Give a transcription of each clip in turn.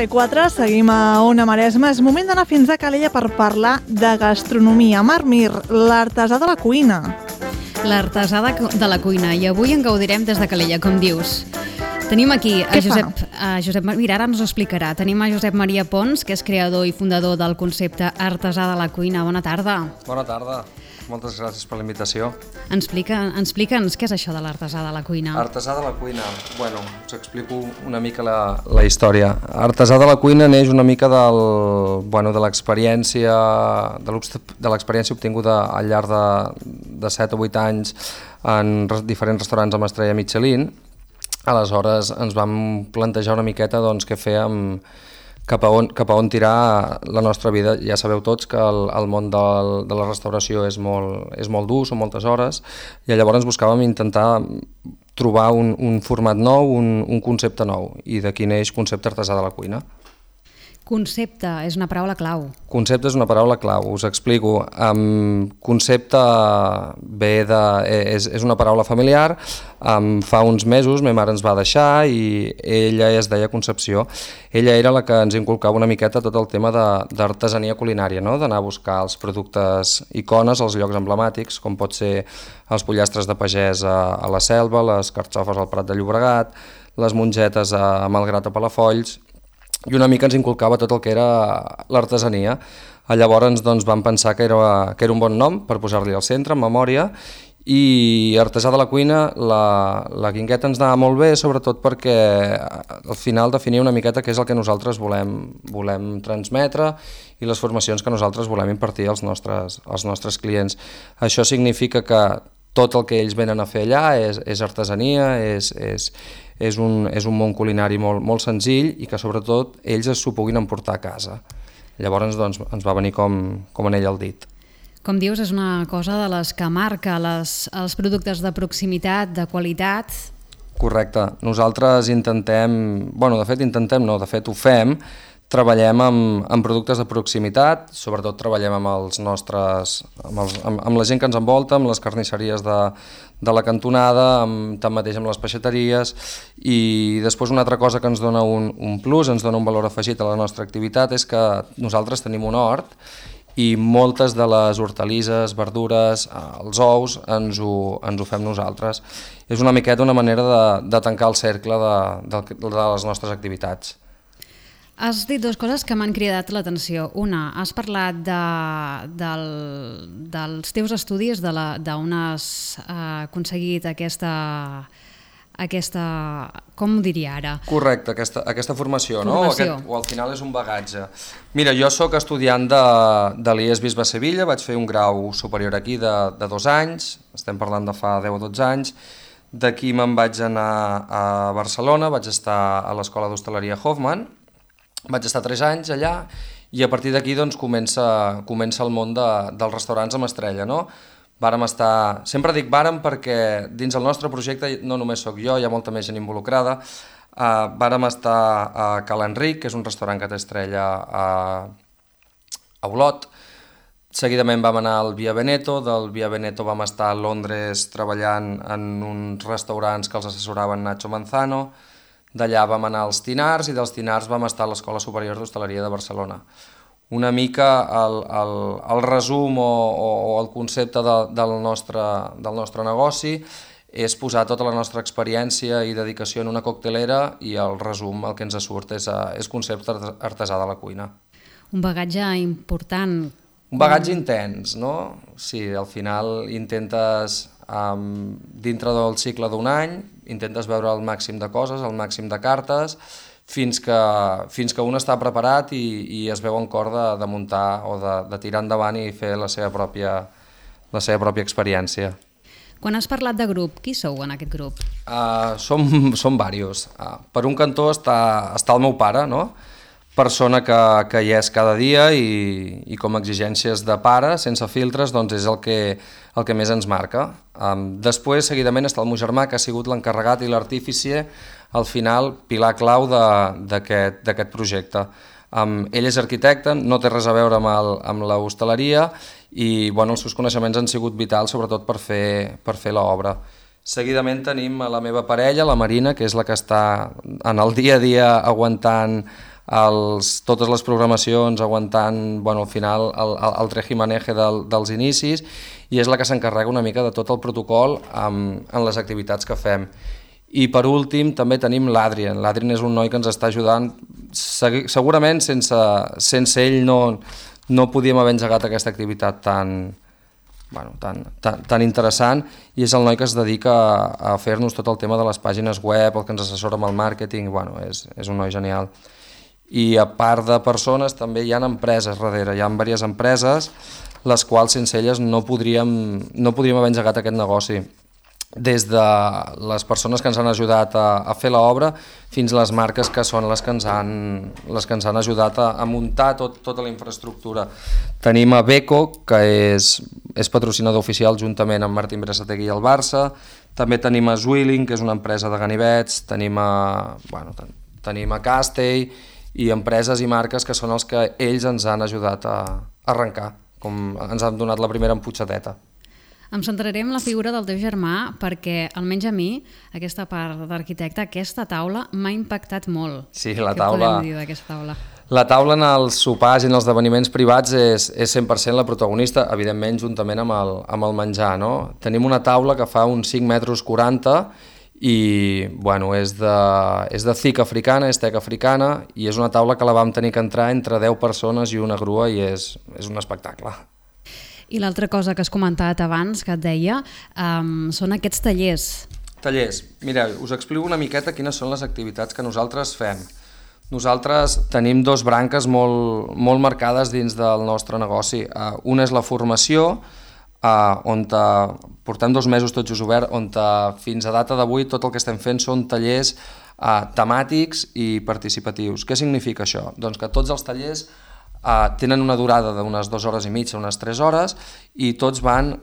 i 4, seguim a Ona Maresma. És moment d'anar fins a Calella per parlar de gastronomia. Marc Mir, l'artesà de la cuina. L'artesà de la cuina, i avui en gaudirem des de Calella, com dius. Tenim aquí a Josep... Mira, ara ens ho explicarà. Tenim a Josep Maria Pons, que és creador i fundador del concepte artesà de la cuina. Bona tarda. Bona tarda. Moltes gràcies per la invitació. Explica'ns què és això de l'artesà de la cuina. Artesà de la cuina. Bueno, us explico una mica la història. Artesà de la cuina neix una mica de l'experiència obtinguda al llarg de 7 o 8 anys en diferents restaurants amb estrella Michelin. Aleshores ens vam plantejar una miqueta què fèiem, cap a on tirar la nostra vida. Ja sabeu tots que el món de la restauració és molt dur, són moltes hores, i llavors buscàvem intentar trobar un format nou, un concepte nou, i d'aquí neix Concepte Artesà de la Cuina. Concepte és una paraula clau. Concepte és una paraula clau, us explico. Concepte és una paraula familiar. Fa uns mesos ma mare ens va deixar i ella es deia Concepció. Ella era la que ens inculcava una miqueta tot el tema d'artesania culinària, no? D'anar a buscar els productes icones als llocs emblemàtics, com pot ser els pollastres de pagès a la Selva, les carxofes al Prat de Llobregat, les mongetes a Malgrat a Palafolls, i una mica ens inculcava tot el que era l'artesania. Llavors vam pensar que era un bon nom per posar-li al centre, en memòria, i artesà de la cuina, la guingueta ens anava molt bé, sobretot perquè al final definia una miqueta què és el que nosaltres volem transmetre i les formacions que nosaltres volem impartir als nostres clients. Això significa que tot el que ells venen a fer allà és artesania, és un món culinari molt senzill i que sobretot ells s'ho puguin emportar a casa. Llavors ens va venir com anell al dit. Com dius, és una cosa de les que marca els productes de proximitat, de qualitat. Correcte. Nosaltres de fet ho fem. Treballem amb productes de proximitat, sobretot treballem amb la gent que ens envolta, amb les carnisseries de la cantonada, tanmateix amb les peixateries, i després una altra cosa que ens dona un plus, ens dona un valor afegit a la nostra activitat, és que nosaltres tenim un hort i moltes de les hortalisses, verdures, els ous, ens ho fem nosaltres. És una miqueta una manera de tancar el cercle de les nostres activitats. Has dit dues coses que m'han cridat l'atenció. Una, has parlat dels teus estudis, d'on has aconseguit aquesta, com ho diria ara? Correcte, aquesta formació, no? O al final és un bagatge. Mira, jo sóc estudiant de l'IES Bisbe Sevilla, vaig fer un grau superior aquí de 2 anys, estem parlant de fa 10 o 12 anys. D'aquí me'n vaig anar a Barcelona, vaig estar a l'Escola d'Hostaleria Hoffman, vaig estar 3 anys allà, i a partir d'aquí comença el món dels restaurants amb estrella, no? Sempre dic vàrem perquè dins el nostre projecte no només sóc jo, hi ha molta més gent involucrada. Vàrem estar a Cal Enric, que és un restaurant que té estrella a Olot. Seguidament vam anar al Via Veneto, del Via Veneto vam estar a Londres treballant en uns restaurants que els assessoraven Nacho Manzano. D'allà vam anar als Tinars i dels Tinars vam estar a l'Escola Superior d'Hostaleria de Barcelona. Una mica el resum o el concepte del nostre negoci és posar tota la nostra experiència i dedicació en una coctelera, i el resum, el que ens surt, és Concepte Artesà de la Cuina. Un bagatge important. Un bagatge intens, no? Sí, al final intentes, dintre del cicle d'un any, intentes veure el màxim de coses, el màxim de cartes, fins que un està preparat i es veu en cor de muntar o de tirar endavant i fer la seva pròpia experiència. Quan has parlat de grup, qui sou en aquest grup? Som diversos. Per un cantó està el meu pare, no? Persona que hi és cada dia i com a exigències de pare, sense filtres, doncs és el que més ens marca. Després, seguidament, està el meu germà, que ha sigut l'encarregat i l'artífice, al final, pilar clau d'aquest projecte. Ell és arquitecte, no té res a veure amb l'hostaleria i els seus coneixements han sigut vitals sobretot per fer l'obra. Seguidament tenim a la meva parella, la Marina, que és la que està en el dia a dia aguantant totes les programacions, aguantant al final el trejimaneje dels inicis, i és la que s'encarrega una mica de tot el protocol en les activitats que fem. I per últim també tenim l'Adrien. L'Adrien és un noi que ens està ajudant. Segurament sense ell no podíem haver engegat aquesta activitat tan interessant, i és el noi que es dedica a fer-nos tot el tema de les pàgines web, el que ens assessora amb el màrqueting. És un noi genial. I a part de persones també hi ha empreses darrere, hi ha diverses empreses les quals sense elles no podríem haver engegat aquest negoci, des de les persones que ens han ajudat a fer l'obra fins a les marques que són les que ens han ajudat a muntar tota la infraestructura. Tenim a Beko, que és patrocinador oficial juntament amb Martín Berasategui i el Barça. També tenim a Zwilling, que és una empresa de ganivets. Tenim a Castell i empreses i marques que són els que ells ens han ajudat a arrencar, com ens han donat la primera emputxadeta. Em centraré en la figura del teu germà perquè, almenys a mi, aquesta part d'arquitecte, aquesta taula m'ha impactat molt. Sí, la taula... Què podem dir d'aquesta taula? La taula en els sopars i en els esdeveniments privats és 100% la protagonista, evidentment juntament amb el menjar, no? Tenim una taula que fa uns 5,40 metres i és de thick africana, és tec africana, i és una taula que la vam tenir que entrar entre 10 persones i una grua, i és un espectacle. I l'altra cosa que has comentat abans, que et deia, són aquests tallers. Tallers. Mireu, us explico una miqueta quines són les activitats que nosaltres fem. Nosaltres tenim 2 branques molt marcades dins del nostre negoci. Una és la formació, on portem 2 mesos tots just obert, on fins a data d'avui tot el que estem fent són tallers temàtics i participatius. Què significa això? Doncs que tots els tallers tenen una durada d'unes 2 hores i mitja, unes 3 hores, i tots van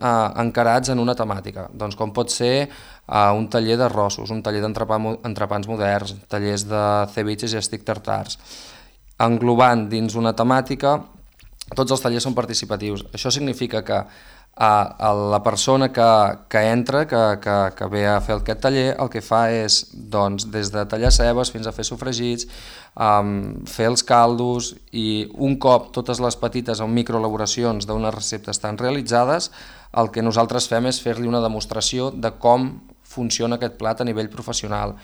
encarats en una temàtica. Doncs com pot ser un taller d'arrossos, un taller d'entrepans moderns, tallers de ceviches i estic tartars. Englobant dins una temàtica, tots els tallers són participatius. Això significa que la persona que entra, que ve a fer aquest taller, el que fa és, doncs, des de tallar cebes fins a fer sofregits, fer els caldos, i un cop totes les petites o microelaboracions d'unes receptes estan realitzades, el que nosaltres fem és fer-li una demostració de com funciona aquest plat a nivell professional.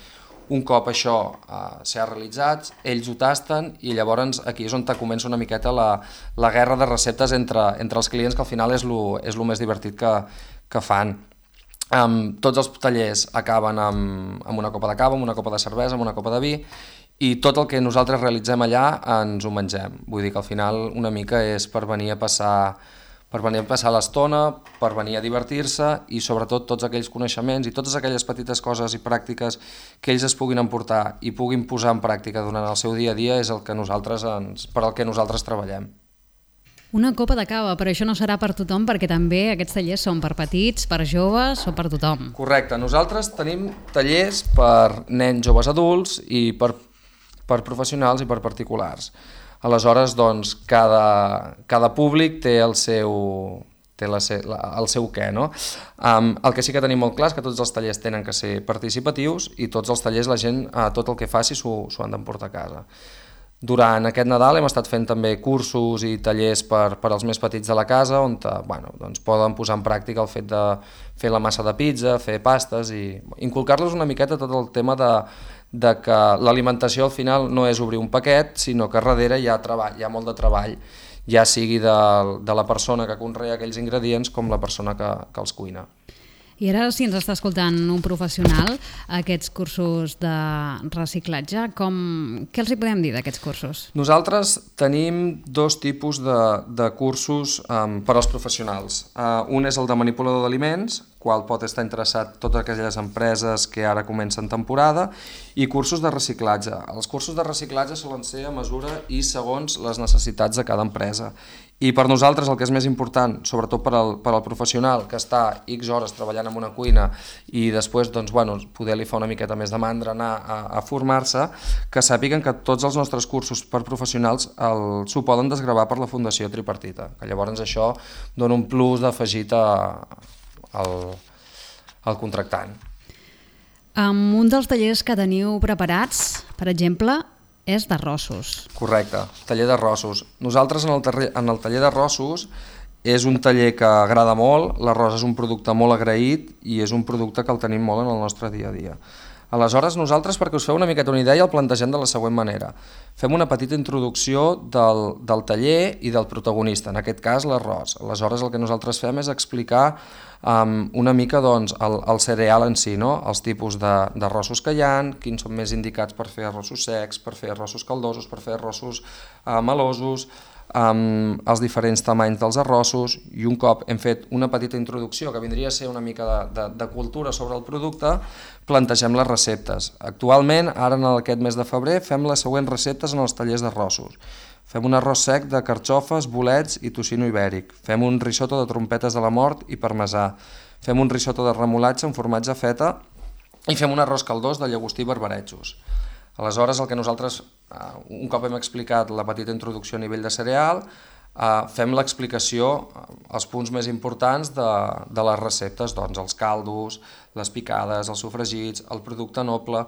Un cop això s'ha realitzat, ells ho tasten, i llavors aquí és on comença una miqueta la guerra de receptes entre els clients, que al final és el més divertit que fan. Tots els tallers acaben amb una copa de cava, amb una copa de cervesa, amb una copa de vi, i tot el que nosaltres realitzem allà ens ho mengem. Vull dir que al final una mica és per venir a passar l'estona, per venir a divertir-se, i sobretot tots aquells coneixements i totes aquelles petites coses i pràctiques que ells es puguin emportar i puguin posar en pràctica durant el seu dia a dia és per al que nosaltres treballem. Una copa de cava, però això no serà per tothom, perquè també aquests tallers són per petits, per joves o per tothom. Correcte, nosaltres tenim tallers per nens, joves, adults, i per professionals i per particulars. Aleshores, doncs, cada públic té el seu què, no? El que sí que tenim molt clar és que tots els tallers tenen que ser participatius, i tots els tallers la gent, tot el que faci, s'ho han d'emportar a casa. Durant aquest Nadal hem estat fent també cursos i tallers per als més petits de la casa, on doncs poden posar en pràctica el fet de fer la massa de pizza, fer pastes, i inculcar-los una miqueta tot el tema de que l'alimentació al final no és obrir un paquet, sinó que darrere hi ha treball, hi ha molt de treball, ja sigui de la persona que conrea aquells ingredients com la persona que els cuina. I ara, si ens està escoltant un professional, aquests cursos de reciclatge, què els hi podem dir d'aquests cursos? Nosaltres tenim 2 tipus de cursos per als professionals. Un és el de manipulador d'aliments, qual pot estar interessat totes aquelles empreses que ara comencen temporada, i cursos de reciclatge. Els cursos de reciclatge solen ser a mesura i segons les necessitats de cada empresa. I per nosaltres el que és més important, sobretot per al professional que està X hores treballant en una cuina i després poder li fa una miqueta més de mandra anar a formar-se, que sàpiguen que tots els nostres cursos per professionals s'ho poden desgravar per la Fundació Tripartita, que llavors això dona un plus d'afegit al contractant. Un dels tallers que teniu preparats, per exemple, és d'arrossos. Correcte, taller d'arrossos. Nosaltres en el taller d'arrossos és un taller que agrada molt, l'arròs és un producte molt agraït i és un producte que el tenim molt en el nostre dia a dia. Aleshores, nosaltres, perquè us feu una miqueta una idea, el plantegem de la següent manera. Fem una petita introducció del taller i del protagonista, en aquest cas l'arròs. Aleshores, el que nosaltres fem és explicar una mica el cereal en si, no? Els tipus d'arrossos que hi ha, quins són més indicats per fer arrossos secs, per fer arrossos caldosos, per fer arrossos melosos, els diferents tamanys dels arrossos, i un cop hem fet una petita introducció que vindria a ser una mica de cultura sobre el producte, plantegem les receptes. Actualment, ara en aquest mes de febrer, fem les següents receptes en els tallers d'arrossos. Fem un arròs sec de carxofes, bolets i tocino ibèric. Fem un risotto de trompetes de la mort i parmesà. Fem un risotto de remolatge amb formatge feta i fem un arròs caldós de llagostí i barbaretxos. Aleshores, el que nosaltres, un cop hem explicat la petita introducció a nivell de cereal, fem l'explicació, els punts més importants de les receptes, doncs els caldos, les picades, els sofregits, el producte noble,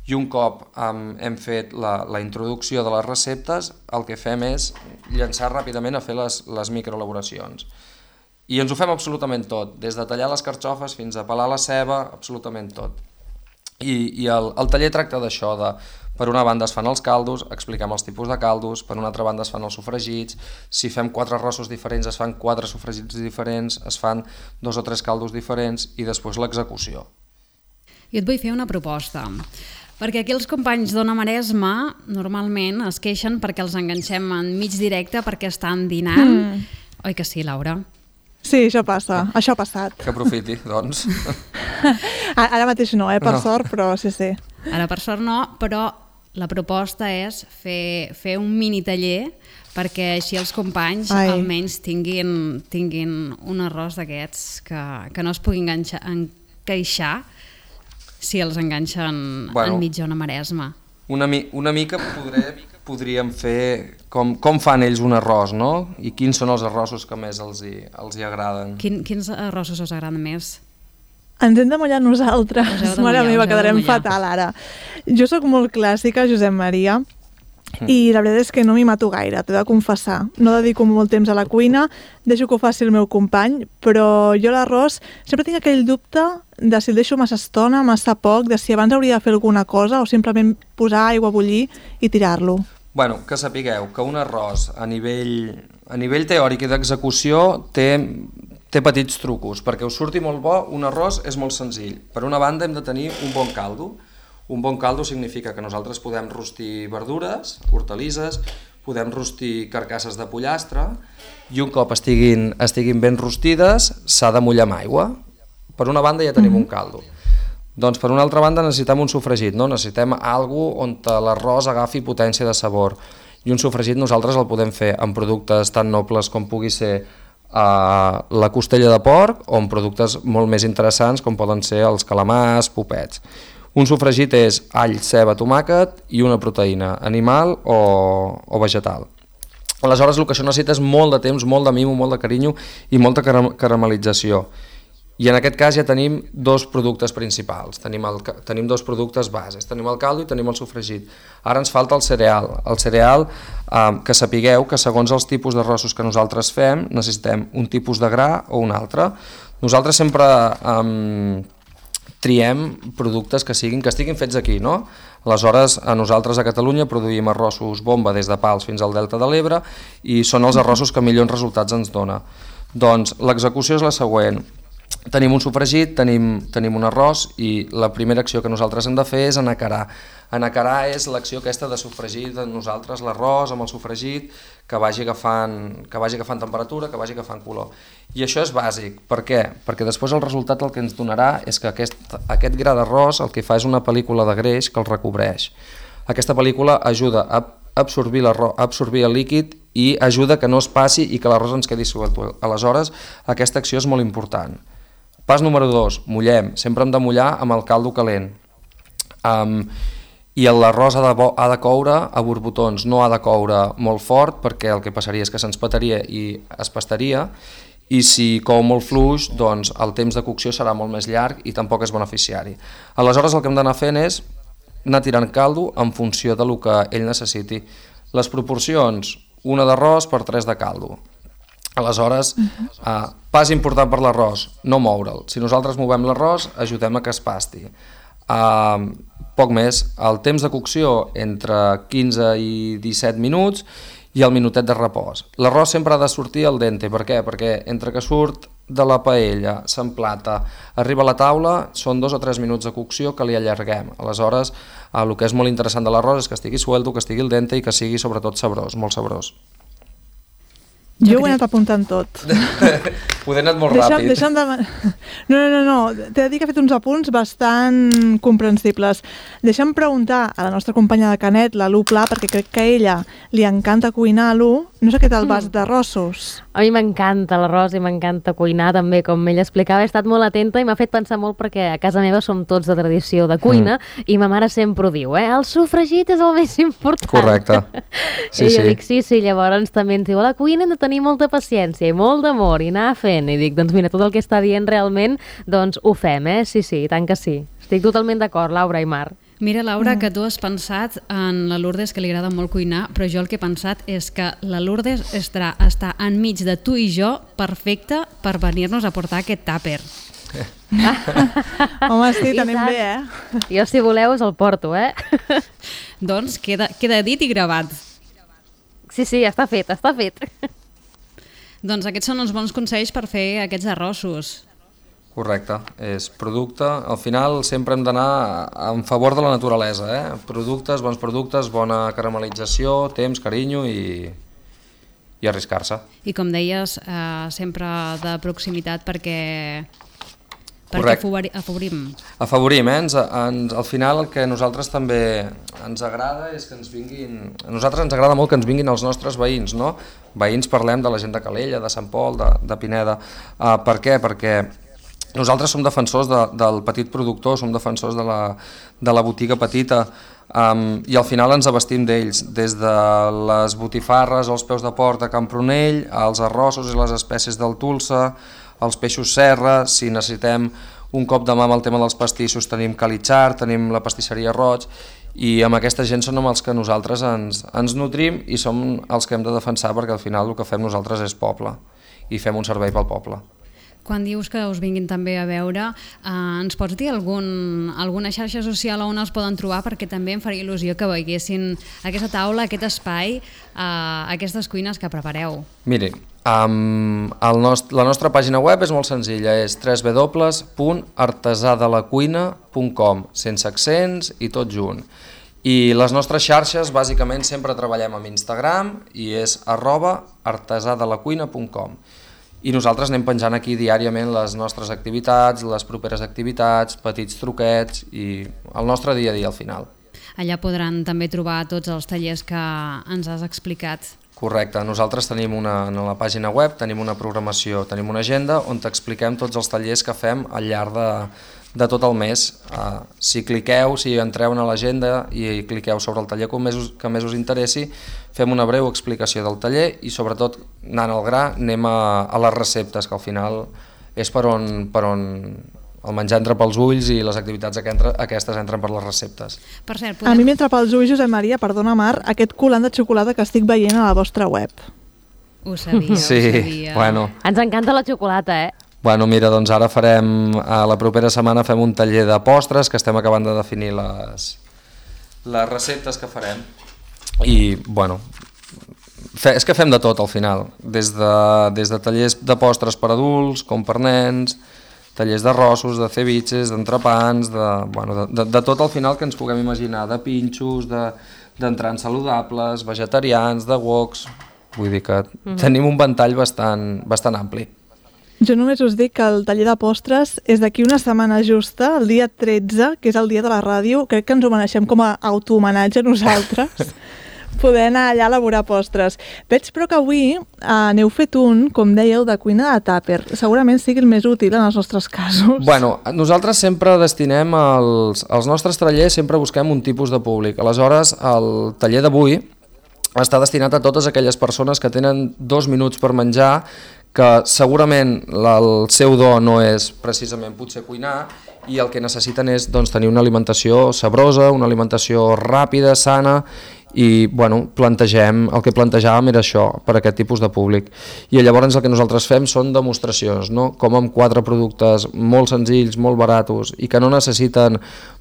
i un cop hem fet la introducció de les receptes, el que fem és llançar ràpidament a fer les microelaboracions. I ens ho fem absolutament tot, des de tallar les carxofes fins a pelar la ceba, absolutament tot. I el taller tracta d'això, per una banda es fan els caldos, expliquem els tipus de caldos, per una altra banda es fan els sofregits, si fem 4 arrossos diferents es fan 4 sofregits diferents, es fan 2 o 3 caldos diferents i després l'execució. Jo et vull fer una proposta, perquè aquí els companys d'Ona Maresma normalment es queixen perquè els enganxem en mig directe perquè estan dinant. Oi que sí, Laura? Sí, això passa, això ha passat. Que aprofiti, doncs. Ara mateix no, per sort, però sí. Ara per sort no, però la proposta és fer un mini taller perquè així els companys almenys tinguin un arròs d'aquests que no es pugui encaixar si els enganxen enmig d'Ona Maresma. Una mica podríem fer com fan ells un arròs, no? I quins són els arrossos que més els hi agraden. Quins arrossos us agraden més? Ens hem de mullar nosaltres. Mare meva, quedarem fatal ara. Jo sóc molt clàssica, Josep Maria, i la veritat és que no m'hi mato gaire, t'he de confessar. No dedico molt temps a la cuina, deixo que ho faci el meu company, però jo l'arròs sempre tinc aquell dubte de si el deixo massa estona, massa poc, de si abans hauria de fer alguna cosa o simplement posar aigua a bullir i tirar-lo. Bueno, que sapigueu que un arròs a nivell teòric i d'execució té petits trucos. Perquè us surti molt bo, un arròs és molt senzill. Per una banda hem de tenir un bon caldo. Un bon caldo significa que nosaltres podem rostir verdures, hortalisses, podem rostir carcasses de pollastre i un cop estiguin ben rostides s'ha de mullar amb aigua. Per una banda ja tenim un caldo. Doncs per una altra banda necessitem un sofregit, no? Necessitem alguna on l'arròs agafi potència de sabor. I un sofregit nosaltres el podem fer amb productes tan nobles com pugui ser la costella de porc o amb productes molt més interessants com poden ser els calamars, popets. Un sofregit és all, ceba, tomàquet i una proteïna, animal o vegetal. Aleshores el que això necessita és molt de temps, molt de mimo, molt de carinyo i molta caramelització. I en aquest cas ja tenim 2 productes principals, tenim 2 productes bases, tenim el caldo i tenim el sofregit. Ara ens falta el cereal. El cereal, que sapigueu que segons els tipus d'arrossos que nosaltres fem necessitem un tipus de gra o un altre. Nosaltres sempre triem productes que estiguin fets aquí, no? Aleshores, nosaltres a Catalunya produïm arrossos bomba des de Pals fins al Delta de l'Ebre i són els arrossos que millors resultats ens dona. Doncs l'execució és la següent. tenim un sofregit, tenim un arròs i la primera acció que nosaltres hem de fer és anacarar. Anacarar és l'acció aquesta de sofregir de nosaltres l'arròs amb el sofregit, que vagi agafant temperatura, que vagi agafant color. I això és bàsic. Per què? Perquè després el resultat el que ens donarà és que aquest gra d'arròs el que fa és una pel·lícula de greix que el recobreix. Aquesta pel·lícula ajuda a absorbir el líquid i ajuda que no es passi i que l'arròs ens quedi suelt. Aleshores, aquesta acció és molt important. Pas número 2, mullem. Sempre hem de mullar amb el caldo calent. I l'arròs ha de coure a borbotons, no ha de coure molt fort perquè el que passaria és que se'ns petaria i es pastaria, i si cou molt fluix, doncs el temps de cocció serà molt més llarg i tampoc és beneficiari. Aleshores el que hem d'anar fent és anar tirant caldo en funció del que ell necessiti. Les proporcions, una d'arròs per 3 de caldo. Aleshores, pas important per l'arròs, no moure'l. Si nosaltres movem l'arròs, ajudem a que es pasti. Poc més, el temps de cocció entre 15 i 17 minuts i el minutet de repòs. L'arròs sempre ha de sortir al dente. Per què? Perquè entre que surt de la paella, s'emplata, arriba a la taula, són 2 o 3 minuts de cocció que li allarguem. Aleshores, el que és molt interessant de l'arròs és que estigui suelto, que estigui al dente i que sigui sobretot sabrós, molt sabrós. Jo ho he anat apuntant tot. Ho he anat molt ràpid. No. T'he de dir que he fet uns apunts bastant comprensibles. Deixa'm preguntar a la nostra companya de Canet, la Lu Pla, perquè crec que a ella li encanta cuinar, Lu. No sé què tal vas d'arrossos. A mi m'encanta l'arròs i m'encanta cuinar també, com ell explicava. He estat molt atenta i m'ha fet pensar molt perquè a casa meva som tots de tradició de cuina i ma mare sempre ho diu, el sofregit és el més important. Correcte. I jo dic, sí, llavors també ens diu, a la cuina hem de tenir molta paciència i molt d'amor i anar fent. I dic, doncs mira, tot el que està dient realment, doncs ho fem, Sí, i tant que sí. Estic totalment d'acord, Laura i Mar. Mira, Laura, que tu has pensat en la Lourdes, que li agrada molt cuinar, però jo el que he pensat és que la Lourdes està enmig de tu i jo perfecta per venir-nos a portar aquest tàper. Home, sí, tenim bé, Jo, si voleu, us el porto, Doncs queda dit i gravat. Sí, està fet. Doncs aquests són els bons consells per fer aquests arrossos. Correcte, és producte. Al final sempre hem d'anar en favor de la naturalesa, Productes, bons productes, bona caramelització, temps, carinyo i arriscar-se. I com deies, sempre de proximitat perquè afavorim. Afavorim, al final el que a nosaltres també ens agrada és que ens vinguin... A nosaltres ens agrada molt que ens vinguin els nostres veïns, no? Veïns, parlem de la gent de Calella, de Sant Pol, de Pineda. Per què? Perquè nosaltres som defensors del petit productor, som defensors de la botiga petita i al final ens abastim d'ells, des de les botifarres als peus de port de Campronell, als arrossos i les espècies del Tulsa, els peixos serra, si necessitem un cop de mà amb el tema dels pastissos tenim Calitxar, tenim la pastisseria Roig i amb aquesta gent són amb els que nosaltres ens nutrim i som els que hem de defensar perquè al final el que fem nosaltres és poble i fem un servei pel poble. Quan dius que us vinguin també a veure, ens pots dir alguna xarxa social on els poden trobar? Perquè també em faria il·lusió que veiessin aquesta taula, aquest espai, aquestes cuines que prepareu. Miri, la nostra pàgina web és molt senzilla, és www.artesadelacuina.com, sense accents i tot junt. I les nostres xarxes, bàsicament, sempre treballem amb Instagram i és @artesadelacuina.com. I nosaltres anem penjant aquí diàriament les nostres activitats, les properes activitats, petits truquets i el nostre dia a dia al final. Allà podran també trobar tots els tallers que ens has explicat. Correcte, nosaltres tenim en la pàgina web, tenim una programació, tenim una agenda on t'expliquem tots els tallers que fem al llarg de tot el mes. Si entreu a l'agenda i cliqueu sobre el taller que més us interessi, fem una breu explicació del taller i sobretot, anant al gra, anem a les receptes, que al final és per on el menjar entra pels ulls i les activitats aquestes entren per les receptes. Per cert, A mi m'entra pels ulls, Josep Maria, perdona Mar, aquest colant de xocolata que estic veient a la vostra web. Ho sabia, Sí, bueno. Ens encanta la xocolata, Bueno, mira, doncs ara la propera setmana fem un taller de postres que estem acabant de definir les receptes que farem i, bueno, és que fem de tot al final, des de tallers de postres per adults, com per nens, tallers d'arrossos, de ceviches, d'entrepans, de tot al final que ens puguem imaginar, de pinxos, d'entrants saludables, vegetarians, de woks, vull dir que tenim un ventall bastant ampli. Jo només us dic que el taller de postres és d'aquí una setmana justa, el dia 13, que és el dia de la ràdio. Crec que ens ho mereixem com a autohomenatge a nosaltres, poder anar allà a elaborar postres. Veig però que avui n'heu fet un, com dèieu, de cuina de tàper. Segurament sigui el més útil en els nostres casos. Bueno, nosaltres sempre destinem els nostres tallers, sempre busquem un tipus de públic. Aleshores, el taller d'avui està destinat a totes aquelles persones que tenen 2 minuts per menjar, que segurament el seu do no és precisament potser cuinar i el que necessiten és tenir una alimentació sabrosa, una alimentació ràpida, sana i el que plantejàvem era això per a aquest tipus de públic. I llavors el que nosaltres fem són demostracions, no? Com amb 4 productes molt senzills, molt baratos i que no necessiten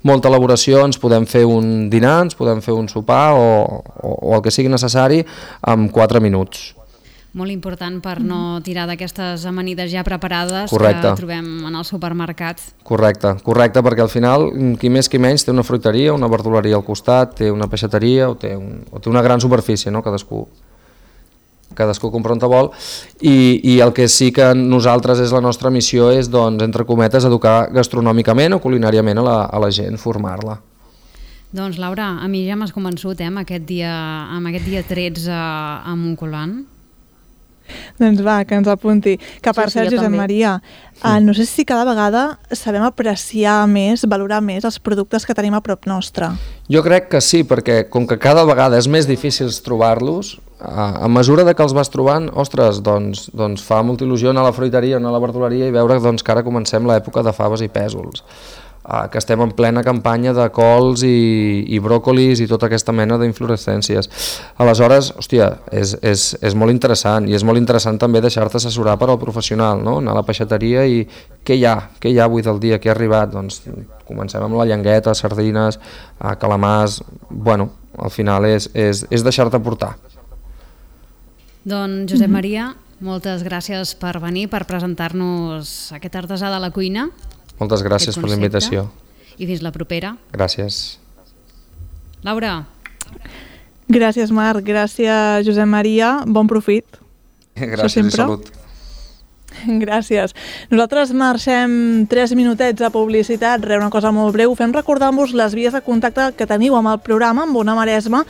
molta elaboració ens podem fer un dinar, ens podem fer un sopar o el que sigui necessari en 4 minuts. Molt important per no tirar d'aquestes amanides ja preparades que trobem en el supermercat. Correcte, perquè al final qui més qui menys té una fruiteria, una verduleria al costat, té una peixateria o té una gran superfície, no? Cadascú compra on vol i el que sí que nosaltres és la nostra missió és, entre cometes, educar gastronòmicament o culinàriament a la gent, formar-la. Doncs Laura, a mi ja m'has convençut amb aquest dia 13 a Montcolant. Doncs va, que ens apunti. Que per cert, Josep Maria, no sé si cada vegada sabem apreciar més, valorar més els productes que tenim a prop nostre. Jo crec que sí, perquè com que cada vegada és més difícil trobar-los, a mesura que els vas trobant, ostres, doncs fa molta il·lusió anar a la fruiteria o anar a la verduleria i veure que ara comencem l'època de faves i pèsols, que estem en plena campanya de cols i bròcolis i tota aquesta mena d'inflorescències. Aleshores, hòstia, és molt interessant i és molt interessant també deixar-te assessorar per al professional, no? Anar a la peixateria i què hi ha avui del dia, què ha arribat? Doncs comencem amb la llengueta, sardines, calamars, al final és deixar-te portar. Doncs Josep Maria, moltes gràcies per venir, per presentar-nos aquest artesà de la cuina. Moltes gràcies per la invitació. I fins la propera. Gràcies. Laura. Gràcies, Marc. Gràcies, Josep Maria. Bon profit. Gràcies i salut. Gràcies. Nosaltres marxem 3 minutets de publicitat, una cosa molt breu. Fem recordar-vos les vies de contacte que teniu amb el programa, amb Ona Maresma.